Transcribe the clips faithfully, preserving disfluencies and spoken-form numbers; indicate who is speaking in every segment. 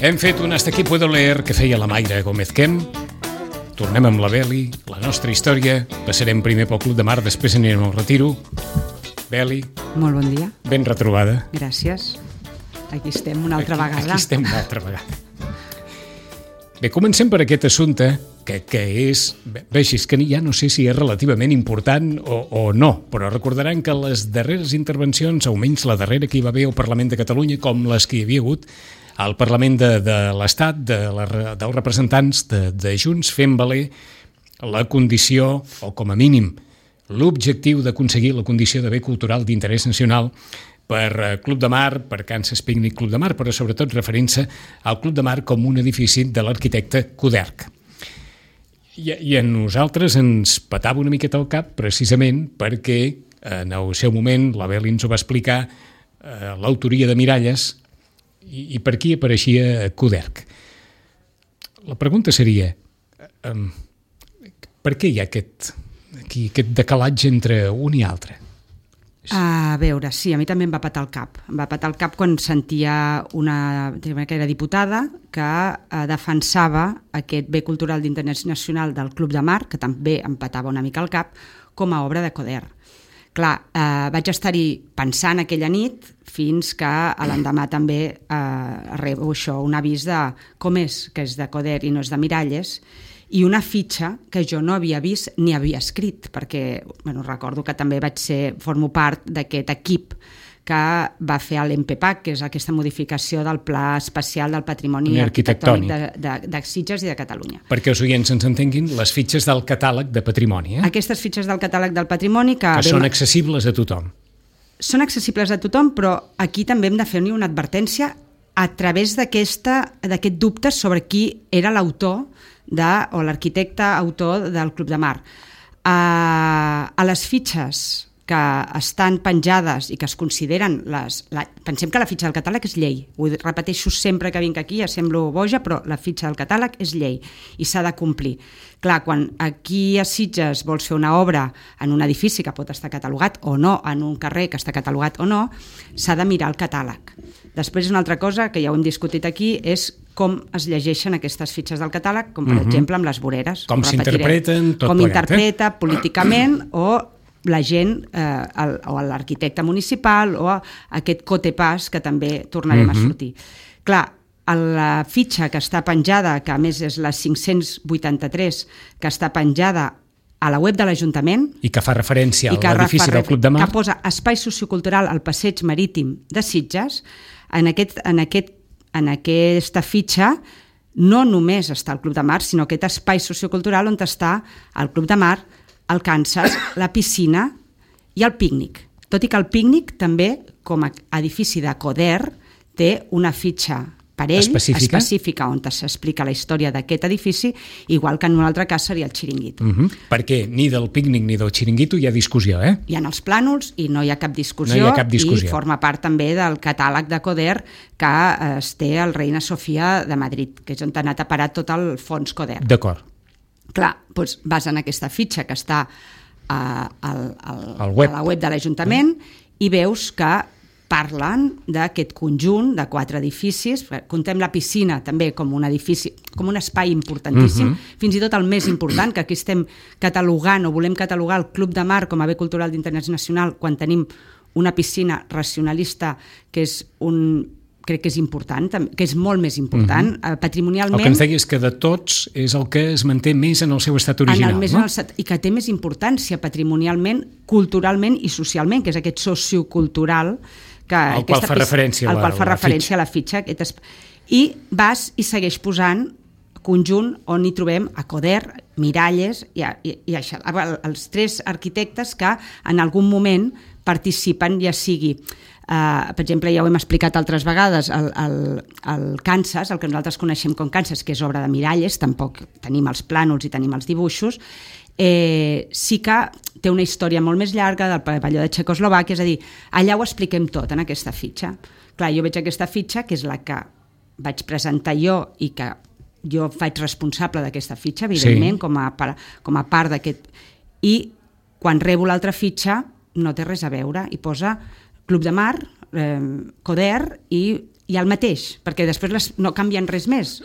Speaker 1: Hem fet un Hasta aquí puedo leer que feia la Mayra Gómez Quem. Tornem amb la Beli, la nostra història. Passarem primer pel Club de Mar, després anirem al retiro. Beli.
Speaker 2: Molt bon dia.
Speaker 1: Ben retrobada.
Speaker 2: Gràcies. Aquí estem una altra
Speaker 1: aquí,
Speaker 2: vegada.
Speaker 1: Aquí estem una altra vegada. Bé, comencem per aquest assumpte, que, que és... Veixis que ja no sé si és relativament important o, o no, però recordaran que les darreres intervencions, almenys la darrera que hi va haver al Parlament de Catalunya, com les que hi havia hagut al Parlament de, de l'Estat, de la, dels representants de, de Junts, fent valer la condició, o com a mínim, l'objectiu d'aconseguir la condició de bé cultural d'interès nacional per Club de Mar, per Kansas Picnic Club de Mar, però sobretot referint-se al Club de Mar com un edifici de l'arquitecte Coderch. I, I a nosaltres ens petava una miqueta el cap precisament perquè en el seu moment la Beli ens ho va explicar, eh, l'autoria de Miralles, i, i per aquí apareixia Coderch. La pregunta seria, eh, per què hi ha aquest, aquí, aquest decalatge entre un i altre?
Speaker 2: A veure, sí, a mi també em va patar el cap. Em va patar el cap quan sentia una que era diputada que eh, defensava aquest bé cultural d'interès nacional del Club de Mar, que també em patava una mica el cap, com a obra de Coderch. Clar, eh, vaig estar-hi pensant aquella nit fins que a l'endemà també eh, rebo això, un avís de com és que és de Coderch i no és de Miralles, i una fitxa que jo no havia vist ni havia escrit, perquè bueno, recordo que també vaig ser, formo part d'aquest equip que va fer l'EMPEPAC, que és aquesta modificació del Pla Especial del Patrimoni Arquitectònic de, de, de Sitges i de Catalunya.
Speaker 1: Perquè els oients ens entenguin, les fitxes del catàleg de patrimoni. Eh?
Speaker 2: Aquestes fitxes del catàleg del patrimoni que...
Speaker 1: Que són accessibles a tothom.
Speaker 2: Són accessibles a tothom, però aquí també hem de fer-ne una advertència a través d'aquest dubte sobre qui era l'autor de, o l'arquitecte autor del Club de Mar. A, a les fitxes que estan penjades i que es consideren les... La, pensem que la fitxa del catàleg és llei. Ho repeteixo sempre que vinc aquí, ja semblo boja, però la fitxa del catàleg és llei i s'ha de complir. Clar, quan aquí a Sitges vols fer una obra en un edifici que pot estar catalogat o no, en un carrer que està catalogat o no, s'ha de mirar el catàleg. Després una altra cosa que ja ho hem discutit aquí és com es llegeixen aquestes fitxes del catàleg, com per uh-huh. exemple amb les voreres.
Speaker 1: Com s'interpreten, tot
Speaker 2: com
Speaker 1: plegat. Com
Speaker 2: interpreta eh? políticament o la gent, eh, el, o l'arquitecte municipal o aquest cotepàs que també tornarem uh-huh. a sortir. Clar, la fitxa que està penjada, que a més és la cinc-cents vuitanta-tres, que està penjada a la web de l'Ajuntament... I que fa referència a l'edifici del Club de Mar. Que posa espai sociocultural al passeig marítim de Sitges. En, aquest, en, aquest, en aquesta fitxa no només està el Club de Mar, sinó aquest espai sociocultural on està el Club de Mar, el Kansas, la piscina i el pícnic. Tot i que el pícnic també, com a edifici de Coderch, té una fitxa per ell, específica, específica on s'explica la història d'aquest edifici, igual que en un altre cas seria el xiringuito.
Speaker 1: Uh-huh. Perquè ni del pícnic ni del xiringuito hi ha discussió, eh?
Speaker 2: Hi ha els plànols i no hi ha cap discussió,
Speaker 1: no hi ha cap discussió.
Speaker 2: I forma part també del catàleg de Coderch que es té al Reina Sofia de Madrid, que és on ha anat a parar tot el fons Coderch.
Speaker 1: D'acord.
Speaker 2: Clar, doncs vas en aquesta fitxa que està a, al, al,
Speaker 1: al web.
Speaker 2: a la web de l'Ajuntament mm. i veus que parlen d'aquest conjunt de quatre edificis. Contem la piscina també com un edifici, com un espai importantíssim, mm-hmm. fins i tot el més important, que aquí estem catalogant o volem catalogar el Club de Mar com a bé cultural d'interès nacional quan tenim una piscina racionalista que és un... crec que és important, que és molt més important, mm-hmm. patrimonialment...
Speaker 1: El que ens deies que de tots és el que es manté més en el seu estat original,
Speaker 2: més
Speaker 1: no?
Speaker 2: El, I que té més importància patrimonialment, culturalment i socialment, que és aquest sociocultural que...
Speaker 1: Al qual fa referència la,
Speaker 2: al qual fa
Speaker 1: la
Speaker 2: referència
Speaker 1: fitxa.
Speaker 2: la fitxa. Aquest, I vas i segueix posant conjunt on hi trobem a Coderch, Miralles i, i, i això, els tres arquitectes que en algun moment participen, ja sigui... Uh, per exemple, ja ho hem explicat altres vegades, el, el, el Kansas, el que nosaltres coneixem com Kansas, que és obra de Miralles, tampoc tenim els plànols i tenim els dibuixos, eh, sí que té una història molt més llarga del pavelló de Txecoslovàquia, és a dir, allà ho expliquem tot en aquesta fitxa. Clar, jo veig aquesta fitxa, que és la que vaig presentar jo i que jo faig responsable d'aquesta fitxa, evidentment, sí. com, a, com a part d'aquest... I quan rebo l'altra fitxa no té res a veure, i posa Club de Mar, eh, Coderch i, hi ha el mateix, perquè després les, no canvien res més.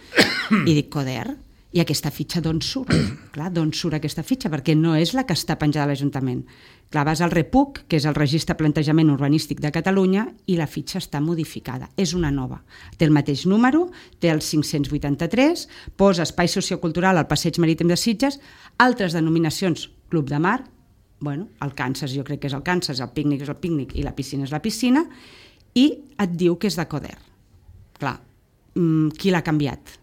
Speaker 2: I dic, Coder, i aquesta fitxa d'on surt? Clar, d'on surt aquesta fitxa? Perquè no és la que està penjada a l'Ajuntament. Clar, vas al REPUC, que és el Registre de Plantejament Urbanístic de Catalunya, i la fitxa està modificada. És una nova. Té el mateix número, té el cinc-cents vuitanta-tres, posa espai sociocultural al Passeig Marítim de Sitges, altres denominacions, Club de Mar, bueno, el Kansas jo crec que és el Kansas, el pícnic és el pícnic i la piscina és la piscina, i et diu que és de Coder. Clar, qui l'ha canviat?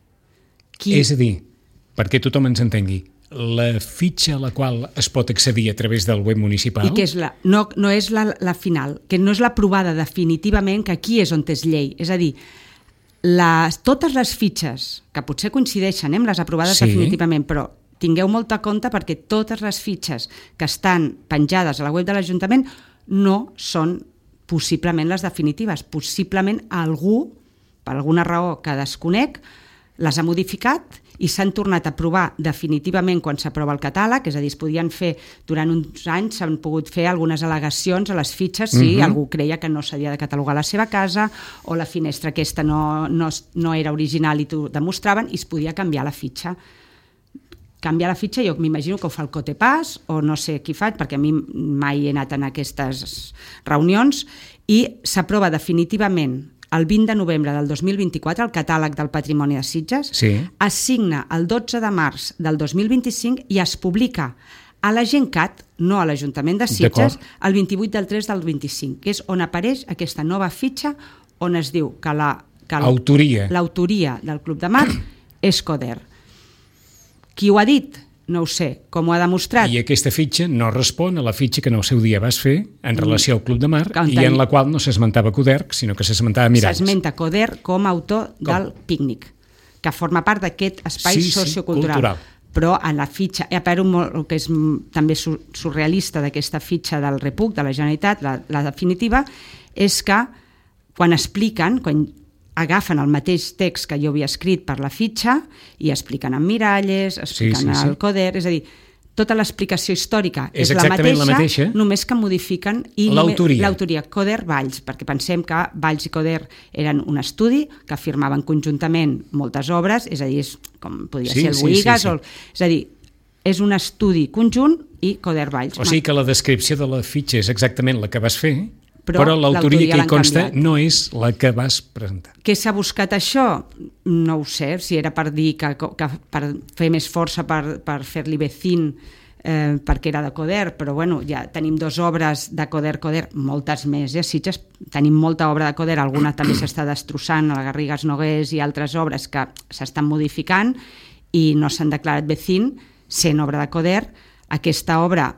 Speaker 2: Qui...
Speaker 1: És a dir, perquè tothom ens entengui, la fitxa a la qual es pot accedir a través del web municipal...
Speaker 2: I que és la, no, no és la, la final, que no és l'aprovada definitivament, que aquí és on és llei. És a dir, les, totes les fitxes, que potser coincideixen eh, amb les aprovades sí. definitivament, però tingueu molt a compte perquè totes les fitxes que estan penjades a la web de l'Ajuntament no són possiblement les definitives. Possiblement algú, per alguna raó que desconec, les ha modificat i s'han tornat a aprovar definitivament quan s'aprova el catàleg, és a dir, es podien fer durant uns anys, s'han pogut fer algunes al·legacions a les fitxes si uh-huh. algú creia que no s'havia de catalogar la seva casa o la finestra aquesta no, no, no era original i t'ho demostraven i es podia canviar la fitxa. Canviar la fitxa, jo m'imagino que ho fa el Cotepàs o no sé qui faig, perquè a mi mai he anat en aquestes reunions, i s'aprova definitivament el vint de novembre del dos mil vint-i-quatre, el catàleg del patrimoni de Sitges,
Speaker 1: sí.
Speaker 2: es signa el dotze de març del dos mil vint-i-cinc i es publica a la Gencat, no a l'Ajuntament de Sitges, el vint-i-vuit del tres del vint-i-cinc, que és on apareix aquesta nova fitxa on es diu que la, que
Speaker 1: l'autoria.
Speaker 2: l'autoria del Club de Mar és Coder. Qui ho ha dit? No ho sé. Com ho ha demostrat?
Speaker 1: I aquesta fitxa no respon a la fitxa que en el seu dia vas fer en relació al Club de Mar i en la qual no s'esmentava Coder, sinó que s'esmentava Miralles.
Speaker 2: S'esmenta Coder com a autor com? del pícnic, que forma part d'aquest espai sí, sociocultural. Sí, cultural. Però en la fitxa, eh, però molt, el que és també surrealista d'aquesta fitxa del REPUC, de la Generalitat, la, la definitiva, és que quan expliquen, quan agafen el mateix text que jo havia escrit per la fitxa i expliquen en Miralles, expliquen sí, sí, sí. el Coder, és a dir, tota l'explicació històrica és, és la, mateixa, la mateixa, només que modifiquen i
Speaker 1: l'autoria.
Speaker 2: l'autoria Coder-Valls, perquè pensem que Valls i Coder eren un estudi que firmaven conjuntament moltes obres, és a dir, és, com podria sí, ser el
Speaker 1: sí,
Speaker 2: Boigas,
Speaker 1: sí, sí.
Speaker 2: O, és a dir, és un estudi conjunt i Coder-Valls.
Speaker 1: O sigui que la descripció de la fitxa és exactament la que vas fer, però, però l'autoria que hi consta canviat. No és la que vas presentar.
Speaker 2: Què s'ha buscat això? No ho sé, si era per dir que, que per fer més força per, per fer-li vecín eh, perquè era de Coder, però bueno, ja tenim dues obres de Coder-Coder, moltes més, eh? Sitges tenim molta obra de Coder, alguna també s'està destrossant, a la Garrigues Nogués i altres obres que s'estan modificant i no s'han declarat vecín, sent obra de Coder. Aquesta obra,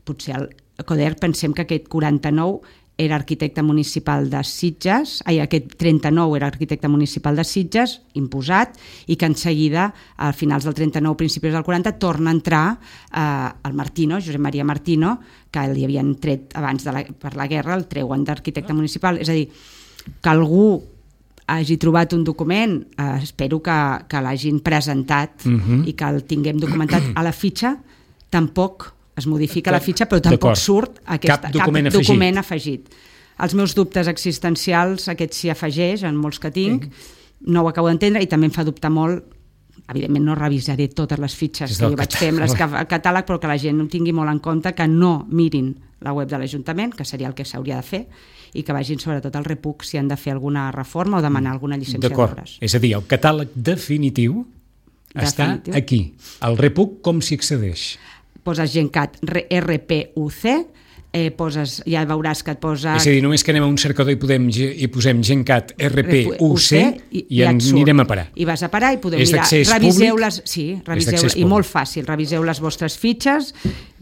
Speaker 2: potser el Coder, pensem que aquest quaranta-nou era arquitecte municipal de Sitges, ai, aquest trenta-nou era arquitecte municipal de Sitges, imposat, i que en seguida, a finals del trenta-nou, principis del quaranta, torna a entrar eh, el Martino, Josep Maria Martino, que li havien tret abans de la, per la guerra, el treuen d'arquitecte municipal. És a dir, que algú hagi trobat un document, eh, espero que, que l'hagin presentat uh-huh. i que el tinguem documentat a la fitxa, tampoc es modifica la fitxa, però tampoc surt aquesta,
Speaker 1: cap, document,
Speaker 2: cap
Speaker 1: afegit.
Speaker 2: document afegit. Els meus dubtes existencials, aquest s'hi afegeix, en molts que tinc, no ho acabo d'entendre i també em fa dubtar molt, evidentment no revisaré totes les fitxes que jo vaig fer amb el catàleg, però que la gent ho tingui molt en compte, que no mirin la web de l'Ajuntament, que seria el que s'hauria de fer, i que vagin sobretot al REPUC si han de fer alguna reforma o demanar alguna llicència d'obres.
Speaker 1: És a dir, el catàleg definitiu, definitiu està aquí. Al REPUC com s'hi accedeix?
Speaker 2: Poses Gencat R P U C, eh, poses, ja veuràs que et posa...
Speaker 1: És a dir, només que anem a un cercador i, podem, i posem Gencat R P U C i, i, i anirem a parar.
Speaker 2: I vas a parar i podem mirar. Reviseu les, sí, reviseu, i molt fàcil, reviseu les vostres fitxes,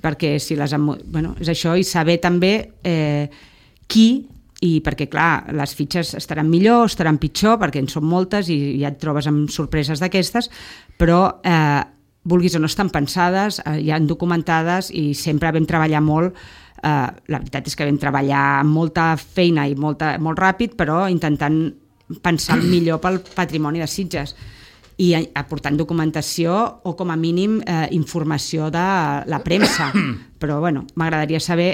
Speaker 2: perquè si les... Bueno, és això, i saber també eh, qui, i perquè clar, les fitxes estaran millor, estaran pitjor, perquè en són moltes i ja et trobes amb sorpreses d'aquestes, però... Eh, vulguis o no estan pensades, eh, ja documentades i sempre vam treballar molt, eh, la veritat és que vam treballar amb molta feina i molta, molt ràpid, però intentant pensar el millor pel patrimoni de Sitges i aportant documentació o com a mínim eh, informació de la premsa. Però bueno, m'agradaria saber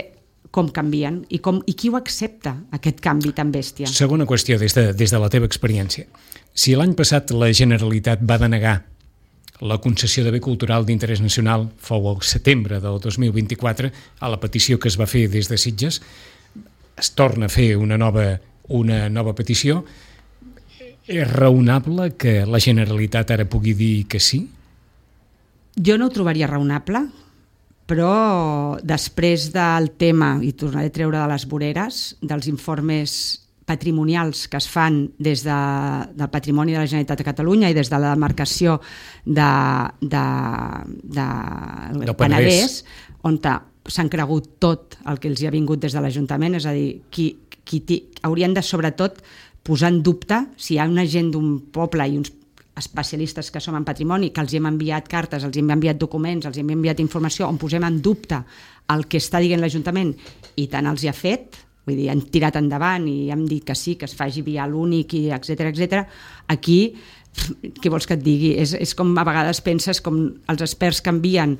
Speaker 2: com canvien i, com, i qui ho accepta, aquest canvi tan bèstia.
Speaker 1: Segona qüestió, des de, des de la teva experiència. Si l'any passat la Generalitat va denegar la concessió de bé cultural d'interès nacional, fou el setembre del dos mil vint-i-quatre, a la petició que es va fer des de Sitges, es torna a fer una nova, una nova petició. És raonable que la Generalitat ara pugui dir que sí?
Speaker 2: Jo no ho trobaria raonable, però després del tema, i tornaré a treure de les voreres, dels informes patrimonials que es fan des de, del patrimoni de la Generalitat de Catalunya i des de la demarcació de, de, de, de Penedès, on s'han cregut tot el que els hi ha vingut des de l'Ajuntament, és a dir, qui, qui haurien de sobretot posar en dubte si hi ha una gent d'un poble i uns especialistes que som en patrimoni, que els hem enviat cartes, els hem enviat documents, els hem enviat informació, on posem en dubte el que està dient l'Ajuntament i tant els hi ha fet, vull dir, han tirat endavant i hem dit que sí, que es faci via l'únic, etcètera, etcètera. Aquí, què vols que et digui? És, és com a vegades penses com els experts que envien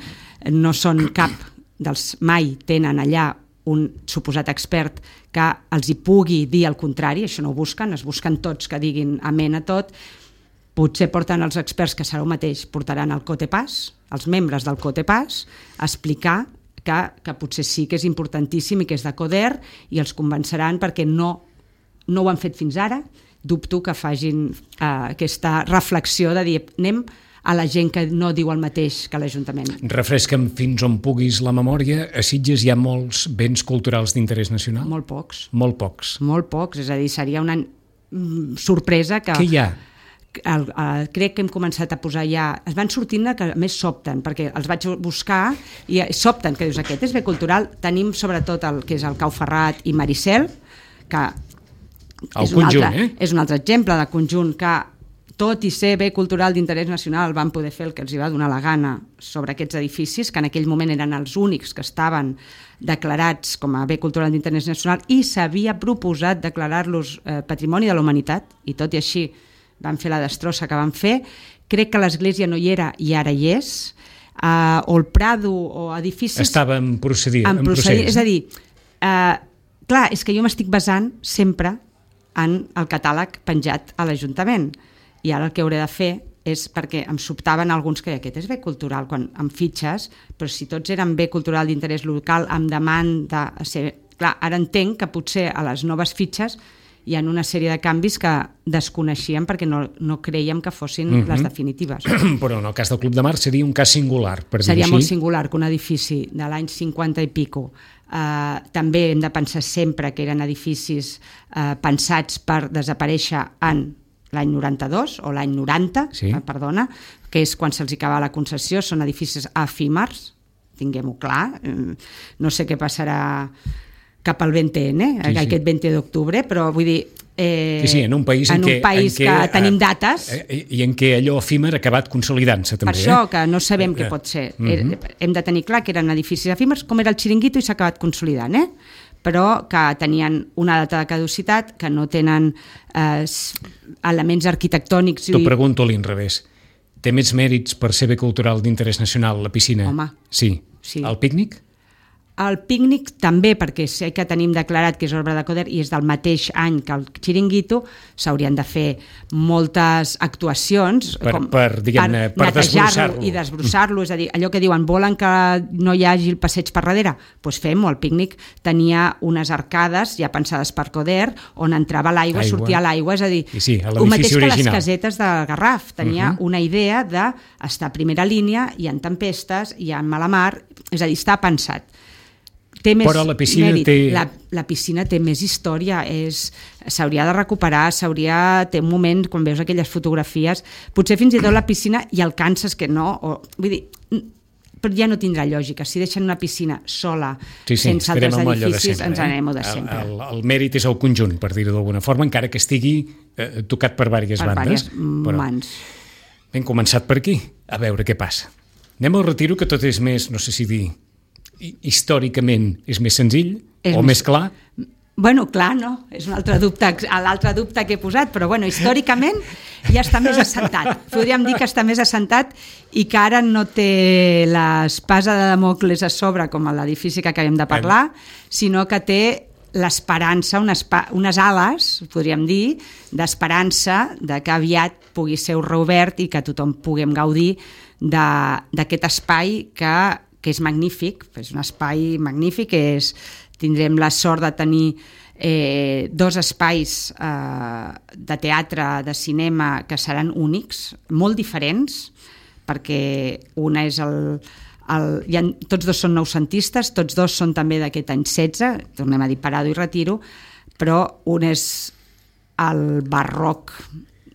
Speaker 2: no són cap dels, mai tenen allà un suposat expert que els hi pugui dir el contrari, això no ho busquen, es busquen tots que diguin amén a tot. Potser porten els experts, que serà el mateix, portaran el COTEPAS, els membres del COTEPAS, a explicar que, que potser sí que és importantíssim i que és de CODER, i els convenceran perquè no, no ho han fet fins ara. Dubto que facin eh, aquesta reflexió de dir anem a la gent que no diu el mateix que l'Ajuntament.
Speaker 1: Refresca'm fins on puguis la memòria. A Sitges hi ha molts béns culturals d'interès nacional?
Speaker 2: Molt pocs.
Speaker 1: Molt pocs.
Speaker 2: Molt pocs, és a dir, seria una mm, sorpresa que...
Speaker 1: Què hi ha?
Speaker 2: El, el, crec que hem començat a posar ja... Es van sortint que a més sobten, perquè els vaig buscar i sobten, que dius, aquest és bé cultural. Tenim sobretot el que és el Cau Ferrat i Maricel, que
Speaker 1: el
Speaker 2: és,
Speaker 1: conjunt,
Speaker 2: un altre,
Speaker 1: eh?
Speaker 2: és un altre exemple de conjunt que, tot i ser bé cultural d'interès nacional, van poder fer el que els hi va donar la gana sobre aquests edificis, que en aquell moment eren els únics que estaven declarats com a bé cultural d'interès nacional, i s'havia proposat declarar-los eh, Patrimoni de la Humanitat, i tot i així van fer la destrossa que van fer. Crec que l'església no hi era i ara hi és, uh, o el Prado o edificis...
Speaker 1: Estava en, procedir,
Speaker 2: en,
Speaker 1: en
Speaker 2: procés.
Speaker 1: procés.
Speaker 2: És a dir, uh, clar, és que jo m'estic basant sempre en el catàleg penjat a l'Ajuntament, i ara el que hauré de fer és, perquè em sobtaven alguns que aquest és bé cultural, quan amb fitxes, però si tots eren bé cultural d'interès local, amb demanda... Ser... Clar, ara entenc que potser a les noves fitxes hi ha una sèrie de canvis que desconeixíem perquè no, no creiem que fossin uh-huh. les definitives.
Speaker 1: Però en el cas del Club de Mar seria un cas singular, per dir
Speaker 2: seria
Speaker 1: així.
Speaker 2: Molt singular que un edifici de l'any cinquanta i pico, eh, també hem de pensar sempre que eren edificis eh, pensats per desaparèixer en l'any noranta-dos o l'any noranta,
Speaker 1: sí.
Speaker 2: eh, perdona, que és quan se'ls acaba la concessió, són edificis efímers, tinguem-ho clar, no sé què passarà cap al vint ene, sí, sí. aquest vint d'octubre, però vull dir... Eh,
Speaker 1: sí, sí, en un país, en,
Speaker 2: en un
Speaker 1: què,
Speaker 2: país
Speaker 1: en què,
Speaker 2: que tenim dates...
Speaker 1: Eh, I en què allò efímer ha acabat consolidant-se, també.
Speaker 2: Per això,
Speaker 1: eh?
Speaker 2: que no sabem eh, què pot ser. Uh-huh. Hem de tenir clar que eren edificis efímers, com era el Xiringuito, i s'ha acabat consolidant, eh? Però que tenien una data de caducitat, que no tenen eh, elements arquitectònics...
Speaker 1: T'ho pregunto a l'inrevés. Té més mèrits per ser bé cultural d'interès nacional la piscina?
Speaker 2: Home.
Speaker 1: Sí.
Speaker 2: sí.
Speaker 1: El pícnic?
Speaker 2: El pícnic també, perquè sé que tenim declarat que és obra de CODER i és del mateix any que el Xiringuito, s'haurien de fer moltes actuacions
Speaker 1: per,
Speaker 2: com,
Speaker 1: per, diguem-ne, per, per
Speaker 2: netejar-lo i desbrossar-lo, és a dir, allò que diuen, volen que no hi hagi el passeig per darrere? Doncs pues fem-ho. El pícnic tenia unes arcades ja pensades per CODER on entrava l'aigua,
Speaker 1: Aigua.
Speaker 2: sortia l'aigua, és a dir,
Speaker 1: sí,
Speaker 2: el mateix
Speaker 1: original.
Speaker 2: que les casetes de Garraf, tenia uh-huh. una idea d'estar a primera línia i en tempestes i en mala mar, és a dir, està pensat. Té més
Speaker 1: Però la piscina
Speaker 2: mèrit.
Speaker 1: té...
Speaker 2: La, la piscina té més història, és, s'hauria de recuperar, s'hauria... Té un moment, quan veus aquelles fotografies, potser fins i tot la piscina i el canses que no, o, vull dir, però ja no tindrà lògica. Si deixen una piscina sola,
Speaker 1: sí, sí,
Speaker 2: sense altres edificis,
Speaker 1: sempre,
Speaker 2: ens
Speaker 1: eh?
Speaker 2: anem de sempre.
Speaker 1: El, el, el mèrit és el conjunt, per dir-ho d'alguna forma, encara que estigui eh, tocat per diverses
Speaker 2: per
Speaker 1: bandes.
Speaker 2: Per mans.
Speaker 1: Hem començat per aquí, a veure què passa. Anem al retiro, que tot és més, no sé si dir... històricament és més senzill és o més, més clar?
Speaker 2: Bueno, clar, no, és un altre dubte, l'altre dubte que he posat, però bueno, històricament ja està més assentat. Podríem dir que està més assentat i que ara no té l'espasa de Damocles a sobre, com a l'edifici que acabem de parlar, sinó que té l'esperança, unes, unes ales, podríem dir, d'esperança de que aviat pugui ser reobert i que tothom puguem gaudir d'aquest espai que, que és magnífic, és un espai magnífic, és, tindrem la sort de tenir eh, dos espais eh, de teatre, de cinema, que seran únics, molt diferents, perquè una és el... El, ja, tots dos són noucentistes, tots dos són també d'aquest any setze, tornem a dir Parado i Retiro, però un és el barroc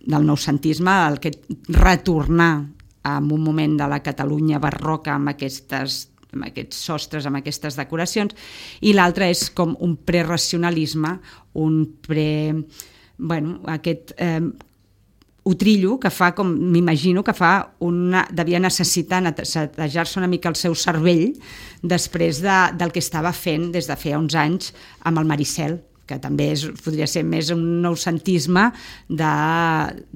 Speaker 2: del noucentisme, el que retornar en un moment de la Catalunya barroca amb, aquestes, amb aquests sostres, amb aquestes decoracions, i l'altre és com un preracionalisme, un pre... bueno, aquest... Eh, utrillo que fa, com m'imagino que fa una, devia necessitar netejar-se una mica el seu cervell després de, del que estava fent des de feia uns anys amb el Maricel, que també és, podria ser més un noucentisme de,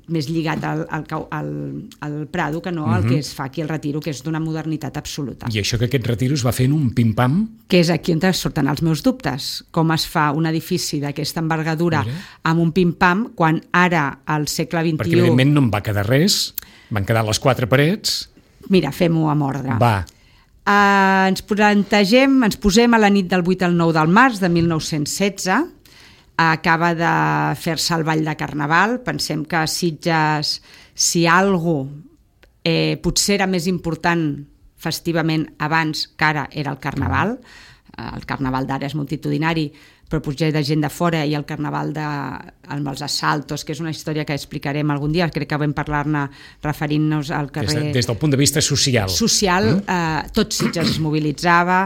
Speaker 2: més lligat al, al, al, al Prado que no al uh-huh. que es fa aquí al Retiro, que és d'una modernitat absoluta.
Speaker 1: I això que aquest Retiro es va fer en un pim-pam?
Speaker 2: Que és aquí on surten els meus dubtes. Com es fa un edifici d'aquesta envergadura Mira. Amb un pim-pam, quan ara, al segle vint-i-u...
Speaker 1: Perquè evidentment no en va quedar res, van quedar les quatre parets...
Speaker 2: Mira, fem-ho amb ordre.
Speaker 1: Va.
Speaker 2: Uh, ens plantegem, ens posem a la nit del vuit al nou del març de mil nou-cents setze, acaba de fer-se el ball de Carnaval, pensem que a Sitges, si algú eh, potser era més important festivament abans que ara era el Carnaval, el Carnaval d'ara és multitudinari, però potser de gent de fora, i el Carnaval de, amb els assaltos, que és una història que explicarem algun dia, crec que vam parlar-ne referint-nos al carrer...
Speaker 1: Des, de, des del punt de vista social.
Speaker 2: Social, mm? eh, tot Sitges es mobilitzava,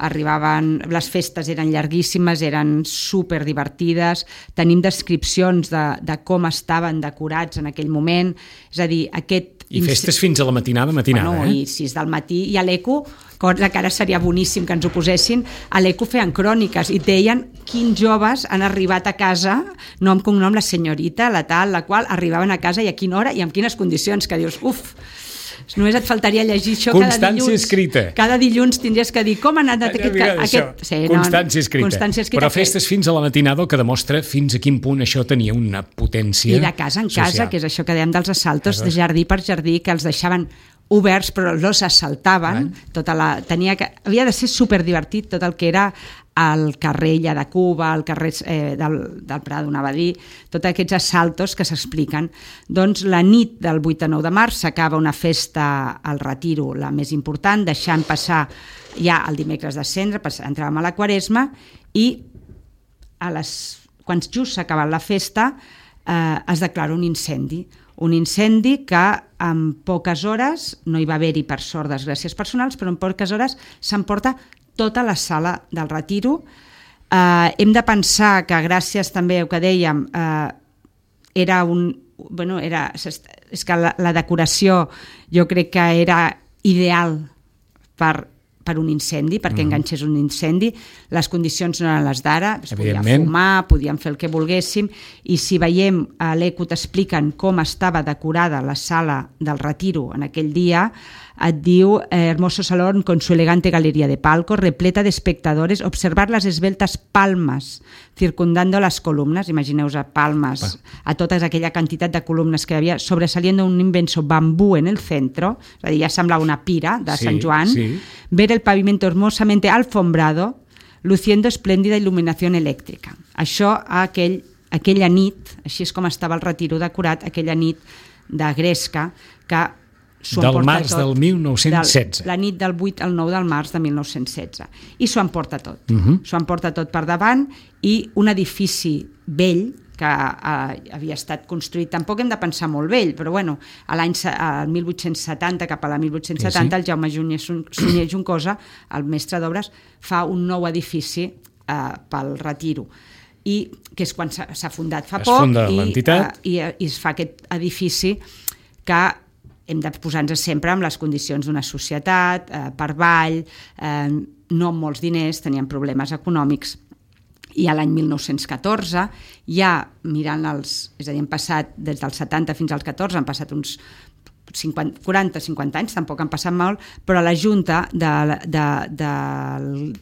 Speaker 2: arribaven, les festes eren llarguíssimes, eren super divertides, tenim descripcions de, de com estaven decorats en aquell moment, és a dir, aquest...
Speaker 1: I festes fins a la matinada, matinada,
Speaker 2: bueno,
Speaker 1: eh?
Speaker 2: I sis del matí, i a l'Eco, cosa que ara seria boníssim que ens ho posessin, a l'Eco feien cròniques i deien quins joves han arribat a casa, nom com nom, la senyorita, la tal, la qual, arribaven a casa i a quina hora i amb quines condicions, que dius, uf, només et faltaria llegir això
Speaker 1: Constància
Speaker 2: cada dilluns.
Speaker 1: escrita.
Speaker 2: Cada dilluns tindries que dir com ha anat aquest... aquest...
Speaker 1: Sí, Constància, no, escrita. Constància escrita. Però festes fins a la matinada, que demostra fins a quin punt això tenia una potència
Speaker 2: I de casa en social. Casa, que és això que dèiem dels assaltos, de jardí per jardí, que els deixaven oberts però els assaltaven. Tota la, tenia que, havia de ser superdivertit tot el que era al carrer Illa de Cuba, al carrer eh, del, del Prado, anava a dir, tots aquests assaltos que s'expliquen. Doncs la nit del vuit a nou de març s'acaba una festa al Retiro, la més important, deixant passar ja el dimecres de Cendra, entràvem a la Quaresma, i a les, quan just s'ha acabat la festa eh, es declara un incendi. Un incendi que en poques hores, no hi va haver-hi per sort desgràcies personals, però en poques hores s'emporta tota la sala del Retiro. Eh, hem de pensar que gràcies també al que dèiem, eh, era un... Bueno, era, és que la, la decoració jo crec que era ideal per, per un incendi, perquè mm. enganxés un incendi. Les condicions no eren les d'ara, es podia fumar, podíem fer el que volguéssim, i si veiem a l'Eco t'expliquen com estava decorada la sala del Retiro en aquell dia, et diu, eh, hermoso salón con su elegante galería de palcos, repleta de espectadores, observar las esbeltas palmas circundando las columnas, imagineu-vos a palmes, a tota aquella quantitat de columnes que hi havia, sobresaliendo un inmenso bambú en el centro, és a dir, ja semblava una pira de sí, Sant Joan, sí. Ver el pavimento hermosamente alfombrado, luciendo espléndida iluminación eléctrica. Això aquell, aquella nit, així és com estava el Retiro decorat, aquella nit de gresca, que
Speaker 1: del març tot, del mil nou-cents setze.
Speaker 2: Del, la nit del vuit al nou del març de mil nou-cents setze. I s'ho emporta tot.
Speaker 1: Uh -huh.
Speaker 2: S'ho emporta tot per davant, i un edifici vell que eh, havia estat construït, tampoc hem de pensar molt vell, però bueno, a l'any mil vuit-cents setanta, cap a la mil vuit-cents setanta, sí, sí. El Jaume Sunyer Juncosa, el mestre d'obres, fa un nou edifici eh, pel Retiro, i que és quan s'ha fundat fa
Speaker 1: es
Speaker 2: poc,
Speaker 1: funda
Speaker 2: i,
Speaker 1: l'entitat.
Speaker 2: Eh, i, i es fa aquest edifici que hem de posar-nos sempre amb les condicions d'una societat, eh, per ball, eh, no amb molts diners, tenien problemes econòmics, I a l'any mil nou-cents catorze, ja mirant els... És a dir, han passat des dels setanta fins als catorze, han passat uns cinquanta, quaranta cinquanta anys, tampoc han passat molt, però la Junta de, de, de,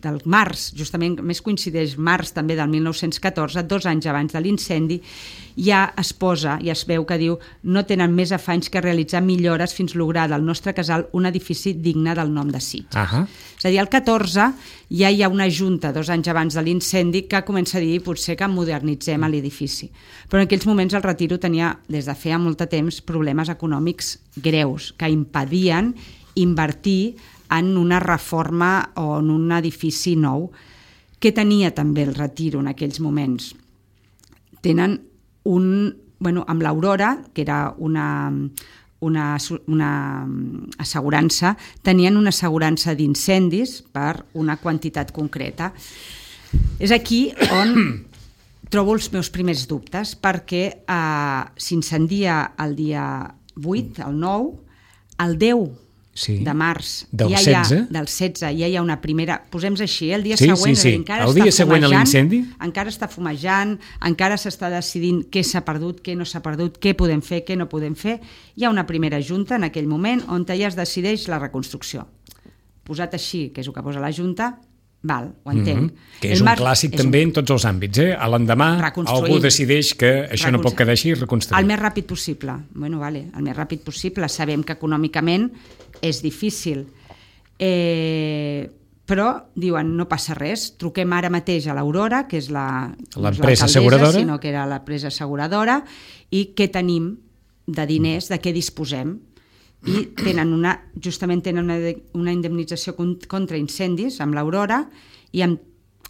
Speaker 2: del març, justament més coincideix març també del mil nou-cents catorze, dos anys abans de l'incendi, ja es posa i es veu que diu no tenen més afanys que realitzar millores fins lograr del nostre casal un edifici digne del nom de Sitges. Uh-huh. És a dir, el catorze ja hi ha una junta, dos anys abans de l'incendi, que comença a dir potser que modernitzem l'edifici. Però en aquells moments el Retiro tenia, des de feia molt de temps, problemes econòmics greus que impedien invertir en una reforma o en un edifici nou. Què tenia també el Retiro en aquells moments? Tenen un... Bueno, amb l'Aurora, que era una, una, una assegurança, tenien una assegurança d'incendis per una quantitat concreta. És aquí on trobo els meus primers dubtes, perquè eh, s'incendia el dia vuit, el nou, el deu sí. de març,
Speaker 1: del
Speaker 2: ja
Speaker 1: setze.
Speaker 2: Hi ha, del setze, ja hi ha una primera... Posem-nos així, eh? El dia
Speaker 1: sí,
Speaker 2: següent,
Speaker 1: sí, sí.
Speaker 2: encara
Speaker 1: el dia
Speaker 2: està
Speaker 1: següent
Speaker 2: fumejant,
Speaker 1: a l'incendi?
Speaker 2: encara està fumejant, encara s'està decidint què s'ha perdut, què no s'ha perdut, què podem fer, què no podem fer. Hi ha una primera junta en aquell moment on ja es decideix la reconstrucció. Posat així, que és el que posa la junta, val, ho entenc.
Speaker 1: Mm-hmm. Que és el un clàssic és també un... en tots els àmbits. Eh? A l'endemà algú decideix que això no pot quedar així i reconstruir.
Speaker 2: El més ràpid possible. Bueno, vale, el més ràpid possible. Sabem que econòmicament és difícil. Eh, però diuen, no passa res, truquem ara mateix a l'Aurora, que és la,
Speaker 1: l'empresa asseguradora,
Speaker 2: sinó que era l'empresa asseguradora, i què tenim de diners, de què disposem. I tenen una, justament tenen una, una indemnització contra incendis amb l'Aurora, i en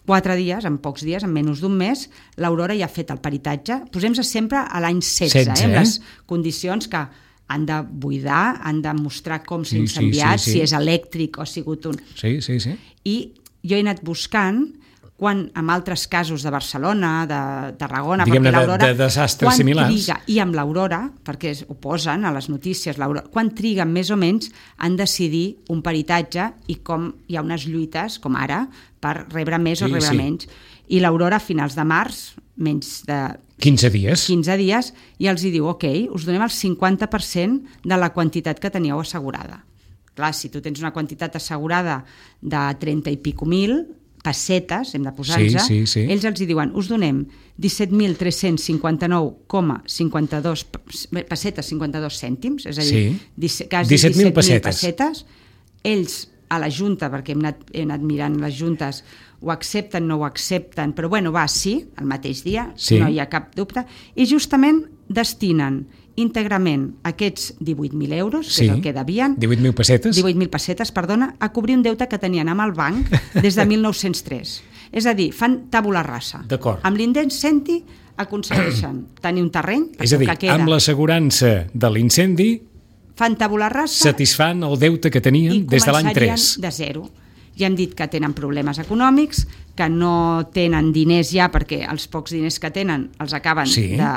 Speaker 2: quatre dies, en pocs dies, en menys d'un mes, l'Aurora ja ha fet el peritatge. Posem-se sempre a l'any setze, setze eh? Amb les condicions que han de buidar, han de mostrar com s'ha sí, incendiat, sí, sí, sí. Si és elèctric o ha sigut un...
Speaker 1: Sí, sí, sí.
Speaker 2: I jo he anat buscant quan amb altres casos de Barcelona, de Tarragona,
Speaker 1: diguem-ne,
Speaker 2: perquè l'Aurora...
Speaker 1: de, de desastres similars.
Speaker 2: Triga, i amb l'Aurora, perquè ho posen a les notícies, quan triguen més o menys en decidir un peritatge i com hi ha unes lluites, com ara, per rebre més sí, o rebre sí. menys. I l'Aurora a finals de març, menys de...
Speaker 1: quinze dies.
Speaker 2: quinze dies, i els hi diu, ok, us donem el cinquanta per cent de la quantitat que teníeu assegurada. Clar, si tu tens una quantitat assegurada de trenta i pico mil pessetes, hem de posar-nos,
Speaker 1: sí, sí, sí.
Speaker 2: ells els hi diuen, us donem disset mil tres-cents cinquanta-nou coma cinquanta-dos pessetes, cinquanta-dos cèntims, és a dir,
Speaker 1: sí.
Speaker 2: quasi disset mil pessetes.
Speaker 1: pessetes.
Speaker 2: Ells, a la Junta, perquè hem anat, hem anat mirant les juntes, ho accepten, no ho accepten, però bueno, va, sí, el mateix dia, sí. No hi ha cap dubte, i justament destinen íntegrament aquests divuit mil euros, que sí. És el que devien...
Speaker 1: divuit mil pessetes?
Speaker 2: divuit mil pessetes, perdona, a cobrir un deute que tenien amb el banc des de mil nou-cents tres. És a dir, fan tàbula rasa.
Speaker 1: D'acord.
Speaker 2: Amb l'indemnity aconsegueixen tenir un terreny...
Speaker 1: És a dir, queda, amb l'assegurança de l'incendi...
Speaker 2: fan tàbula rasa...
Speaker 1: satisfan el deute que tenien des de l'any tres.
Speaker 2: I començarien de zero. Ja hem dit que tenen problemes econòmics, que no tenen diners ja, perquè els pocs diners que tenen els acaben sí. de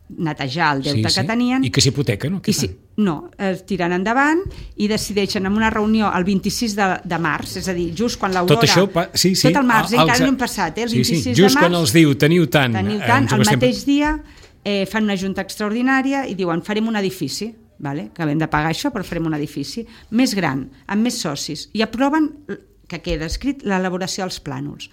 Speaker 2: netejar el deute sí, sí. que tenien.
Speaker 1: I que s'hipoteca, no?
Speaker 2: I si, no, es tiren endavant i decideixen en una reunió el vint-i-sis de, de març, és a dir, just quan l'Aurora...
Speaker 1: Tot això, sí, sí.
Speaker 2: Tot el març, el, encara no hem passat, eh? El vint-i-sis
Speaker 1: sí, sí. Just
Speaker 2: de març...
Speaker 1: quan els diu, teniu tant...
Speaker 2: Teniu tant, el mateix dia eh, fan una junta extraordinària i diuen, farem un edifici, vale? Que hem de pagar això, però farem un edifici més gran, amb més socis, i aproven, que queda escrit, l'elaboració dels plànols.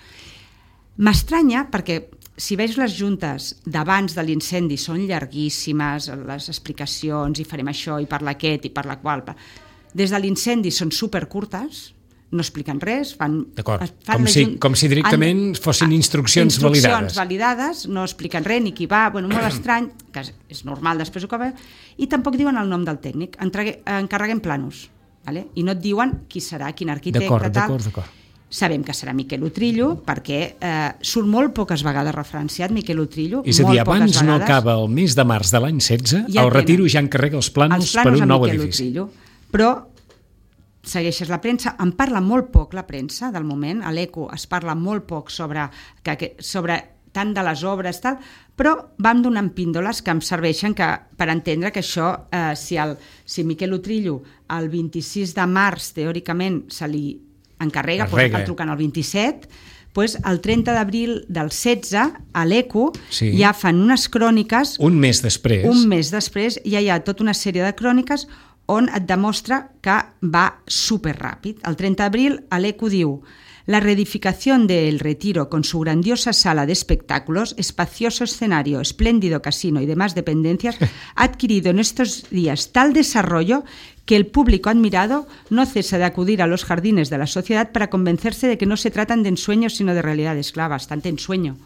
Speaker 2: M'estranya, perquè si veig les juntes d'abans de l'incendi són llarguíssimes, les explicacions, i farem això, i per aquest, i per la qual... Des de l'incendi són supercurtes, no expliquen res, fan...
Speaker 1: D'acord, com, si, com si directament han, fossin instruccions,
Speaker 2: instruccions
Speaker 1: validades.
Speaker 2: validades, no expliquen res, ni qui va, bueno, molt estrany, que és normal després ho que ve, i tampoc diuen el nom del tècnic, Entregue, encarreguem plànols, vale? I no et diuen qui serà, quin arquitecte,
Speaker 1: d'acord,
Speaker 2: tal...
Speaker 1: D'acord, d'acord.
Speaker 2: Sabem que serà Miquel Utrillo, perquè eh, surt molt poques vegades referenciat Miquel Utrillo.
Speaker 1: És a dir, abans no acaba el mes de març de l'any setze, ja el Retiro ja encarrega els plànols, els plànols per un nou edifici. Utrillo. Però segueixes la premsa, en parla molt poc la premsa del moment, a l'Eco es parla molt poc sobre, que, sobre tant de les obres, tal, però vam donant píndoles que em serveixen que, per entendre que això, eh, si, el, si Miquel Utrillo el vint-i-sis de març, teòricament, se li encarrega, doncs el truquen el vint-i-set,
Speaker 2: pues el trenta d'abril del setze, a l'Eco,
Speaker 1: sí.
Speaker 2: ja fan unes cròniques...
Speaker 1: Un mes després.
Speaker 2: Un mes després ja hi ha tota una sèrie de cròniques on et demostra que va superràpid. El trenta d'abril, a l'Eco diu: la reedificación de El Retiro con su grandiosa sala de espectáculos, espacioso escenario, espléndido casino y demás dependencias ha adquirido en estos días tal desarrollo que el público admirado no cesa de acudir a los jardines de la sociedad para convencerse de que no se tratan de ensueños sino de realidades. Clar, bastante ensueño,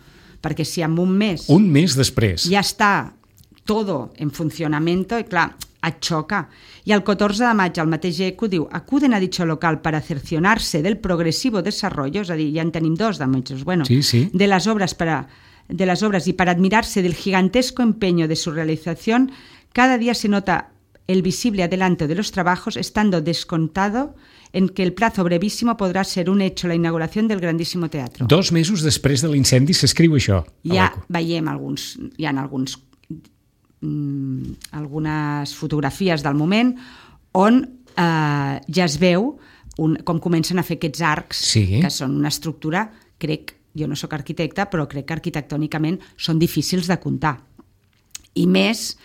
Speaker 2: perquè si en un mes...
Speaker 1: Un mes després.
Speaker 2: Ja està todo en funcionamiento, i clar, et xoca. I el catorze de maig el mateix Eco diu: acuden a dicho local para cercionarse del progresivo desarrollo, és a dir, ja en tenim dos de mesos, bueno,
Speaker 1: sí, sí.
Speaker 2: de las obras para de las obras y para admirarse del gigantesco empeño de su realización, cada día se nota el visible adelanto de los trabajos, estando descontado en que el plazo brevísimo podrá ser un hecho la inauguración del grandísimo teatro.
Speaker 1: Dos mesos després de l'incendi s'escriu això.
Speaker 2: Ja veiem alguns, hi ha alguns, mm, algunes fotografies del moment on eh, ja es veu un, com comencen a fer aquests arcs,
Speaker 1: sí.
Speaker 2: que són una estructura, crec, jo no sóc arquitecta, però crec que arquitectònicament són difícils de comptar. I més...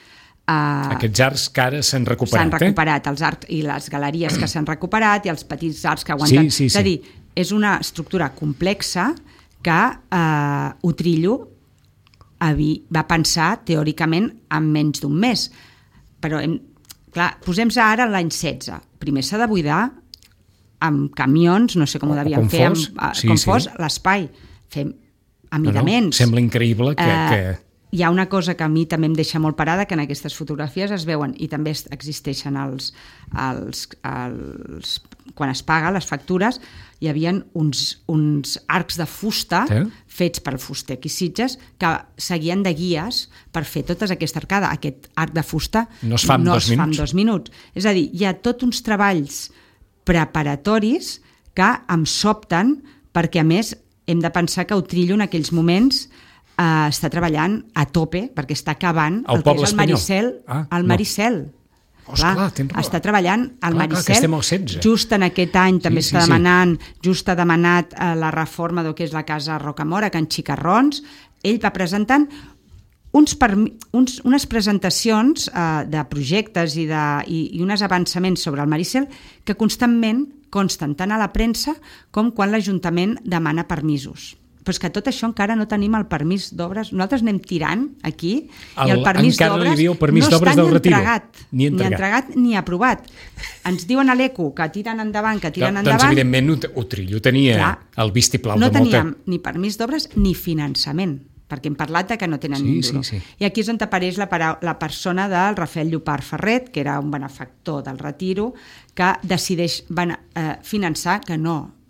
Speaker 2: Uh,
Speaker 1: Aquests arcs que ara s'han recuperat.
Speaker 2: S'han recuperat,
Speaker 1: eh?
Speaker 2: els arcs i les galeries que s'han recuperat i els petits arcs que aguanten.
Speaker 1: Sí, sí, sí.
Speaker 2: És a dir, és una estructura complexa que uh, Utrillo va pensar teòricament en menys d'un mes. Però, hem, clar, posem-se ara l'any setze. Primer s'ha de buidar amb camions, no sé com ho devien fer, amb,
Speaker 1: sí,
Speaker 2: com
Speaker 1: sí.
Speaker 2: fos, l'espai. Fem amidaments.
Speaker 1: No, no, sembla increïble que...
Speaker 2: Uh,
Speaker 1: que...
Speaker 2: Hi ha una cosa que a mi també em deixa molt parada, que en aquestes fotografies es veuen, i també existeixen els, els, els quan es paga les factures, hi havia uns, uns arcs de fusta sí. fets pel fuster aquí Sitges, que seguien de guies per fer totes aquesta arcada. Aquest arc de fusta
Speaker 1: no es fa en,
Speaker 2: no
Speaker 1: dos,
Speaker 2: es fa en
Speaker 1: minuts.
Speaker 2: dos minuts. És a dir, hi ha tots uns treballs preparatoris que em sobten, perquè a més hem de pensar que Utrillo en aquells moments Uh, està treballant a tope perquè està acabant
Speaker 1: el,
Speaker 2: el que és el
Speaker 1: espanyol.
Speaker 2: Maricel.
Speaker 1: Ah,
Speaker 2: el Maricel.
Speaker 1: No. Oh, clar, clar,
Speaker 2: està treballant al
Speaker 1: clar,
Speaker 2: Maricel.
Speaker 1: Clar,
Speaker 2: just en aquest any
Speaker 1: sí,
Speaker 2: també
Speaker 1: sí,
Speaker 2: està demanant,
Speaker 1: sí.
Speaker 2: just ha demanat uh, la reforma del que és la casa Rocamora, Can Xicarrons. Ell va presentant uns, uns, unes presentacions uh, de projectes i, de, i, i uns avançaments sobre el Maricel que constantment consten tant a la premsa com quan l'Ajuntament demana permisos. Però és que tot això encara no tenim el permís d'obres. Nosaltres anem tirant aquí el, i el permís d'obres
Speaker 1: permís
Speaker 2: no està
Speaker 1: ni
Speaker 2: entregat,
Speaker 1: ni,
Speaker 2: ni entregat ni aprovat. Ens diuen a l'Eco que tiren endavant, que tiren
Speaker 1: no,
Speaker 2: endavant...
Speaker 1: Doncs evidentment Utrillo tenia clar, el vistiplau
Speaker 2: no
Speaker 1: de molta...
Speaker 2: No teníem ni permís d'obres ni finançament, perquè hem parlat de que no tenen
Speaker 1: sí,
Speaker 2: ni un duro.
Speaker 1: Sí, sí.
Speaker 2: I aquí és on apareix la, la persona del Rafael Llopart Ferret, que era un benefactor del Retiro, que decideix eh, finançar, que no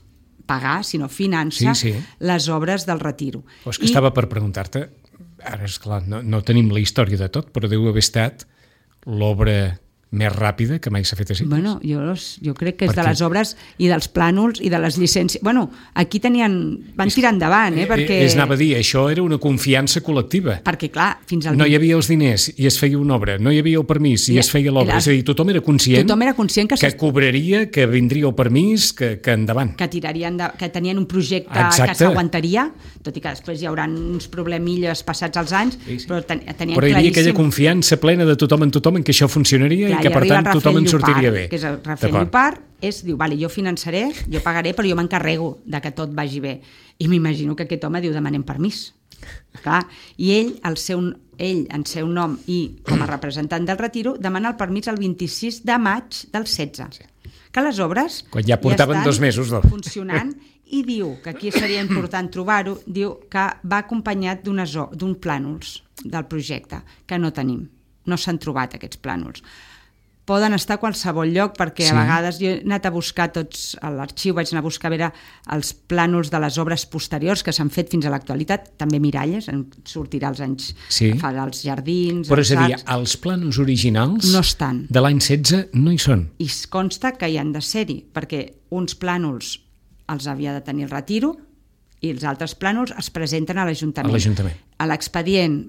Speaker 2: pagar, sinó finança
Speaker 1: sí, sí.
Speaker 2: les obres del Retiro.
Speaker 1: O és que I... estava per preguntar-te, ara és clar, no, no tenim la història de tot, però deu haver estat l'obra més ràpida que mai s'ha fet a Sitges.
Speaker 2: Bueno, jo, jo crec que és perquè... de les obres i dels plànols i de les llicències. Bueno, aquí tenien... van tirar endavant, eh? Perquè...
Speaker 1: Es anava a dir, això era una confiança col·lectiva.
Speaker 2: Perquè, clar, fins al...
Speaker 1: No hi havia els diners i es feia una obra, no hi havia el permís i, I es feia l'obra. És a dir, tothom era conscient,
Speaker 2: tothom era conscient que,
Speaker 1: que cobraria, que vindria el permís, que, que endavant.
Speaker 2: Que tirarien de... que tenien un projecte
Speaker 1: Exacte.
Speaker 2: Que s'aguantaria, tot i que després hi haurà uns problemilles passats els anys, sí, sí. però ten, tenien
Speaker 1: però hi havia
Speaker 2: claríssim...
Speaker 1: aquella confiança plena de tothom en tothom en que això funcionaria clar, i que per tant tothom en sortiria bé.
Speaker 2: Que és el Rafael Llopart, és, diu, vale, jo finançaré, jo pagaré, però jo m'encarrego de que tot vagi bé. I m'imagino que aquest home diu, demanem permís. Clar. I ell, el seu, ell, en seu nom i com a representant del Retiro, demana el permís el vint-i-sis de maig del setze. Sí. Que les obres
Speaker 1: quan ja portaven
Speaker 2: ja
Speaker 1: dos mesos
Speaker 2: no? funcionant, i diu, que aquí seria important trobar-ho, diu que va acompanyat d'un plànols del projecte, que no tenim. No s'han trobat aquests plànols. Poden estar a qualsevol lloc, perquè sí. a vegades jo he anat a buscar tots, a l'arxiu vaig anar a buscar a veure els plànols de les obres posteriors que s'han fet fins a l'actualitat, també Miralles, en sortirà als anys,
Speaker 1: sí.
Speaker 2: fa els jardins...
Speaker 1: Però és a dir, els plànols originals
Speaker 2: no estan.
Speaker 1: De l'any setze no hi són.
Speaker 2: I es consta que hi han de ser-hi, perquè uns plànols els havia de tenir el Retiro i els altres plànols es presenten a l'Ajuntament.
Speaker 1: A l'Ajuntament.
Speaker 2: A l'expedient